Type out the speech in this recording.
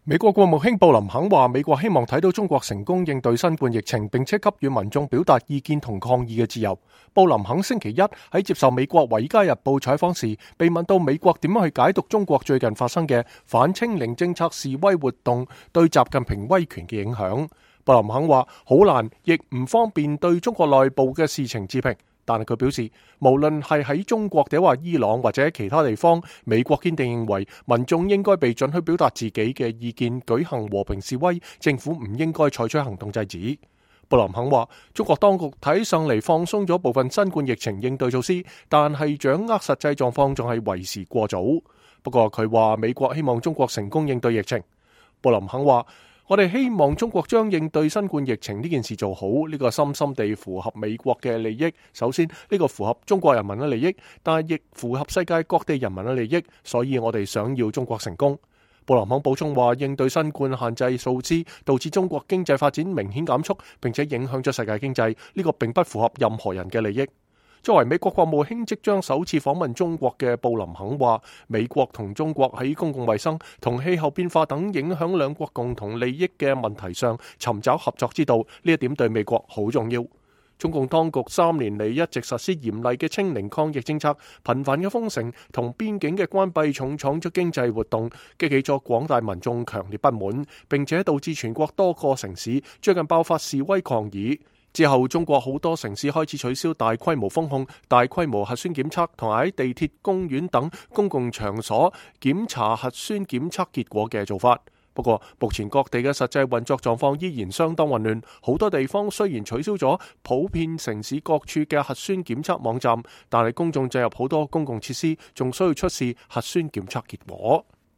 美國國務卿布林肯話，美國希望睇到中國成功應對新冠疫情，並且給予民眾表達意見同抗議嘅自由。布林肯星期一喺接受美國《華爾街日報》採訪時，被問到美國點樣去解讀中國最近發生嘅反清零政策示威活動對習近平威權嘅影響，布林肯話好難，亦唔方便對中國內部嘅事情置評。但係佢表示，無論係喺中國定話伊朗或者其他地方，美國堅定認為民眾應該被准許表達自己嘅意見，舉行和平示威，政府唔應該採取行動制止。布林肯話，中國當局睇上嚟放鬆咗部分新冠疫情應對措施，但係掌握實際狀況仲係為時過早。不過佢話美國希望中國成功應對疫情。布林肯話，我哋希望中國將應對新冠疫情呢件事做好，呢個深深地符合美國嘅利益。首先，呢個符合中國人民嘅利益，但係亦符合世界各地人民嘅利益，所以我哋想要中國成功。布林肯補充話，應對新冠限制措施導致中國經濟發展明顯減速，並且影響咗世界經濟，呢個並不符合任何人嘅利益。作為美國國務卿即將首次訪問中國嘅布林肯話，美國同中國喺公共衛生同氣候變化等影響兩國共同利益嘅問題上尋找合作之道，呢一點對美國好重要。中共當局3年嚟一直實施嚴厲嘅清零抗疫政策，頻繁嘅封城同邊境嘅關閉重創咗經濟活動，激起咗廣大民眾強烈不滿，並且導致全國多個城市最近爆發示威抗議。之後，中國好多城市開始取消大規模封控、大規模核酸檢測，同埋喺地鐵、公園等公共場所檢查核酸檢測結果嘅做法。不過，目前各地嘅實際運作狀況依然相當混亂。好多地方雖然取消咗普遍城市各處嘅核酸檢測網站，但係公眾進入好多公共設施仲需要出示核酸檢測結果。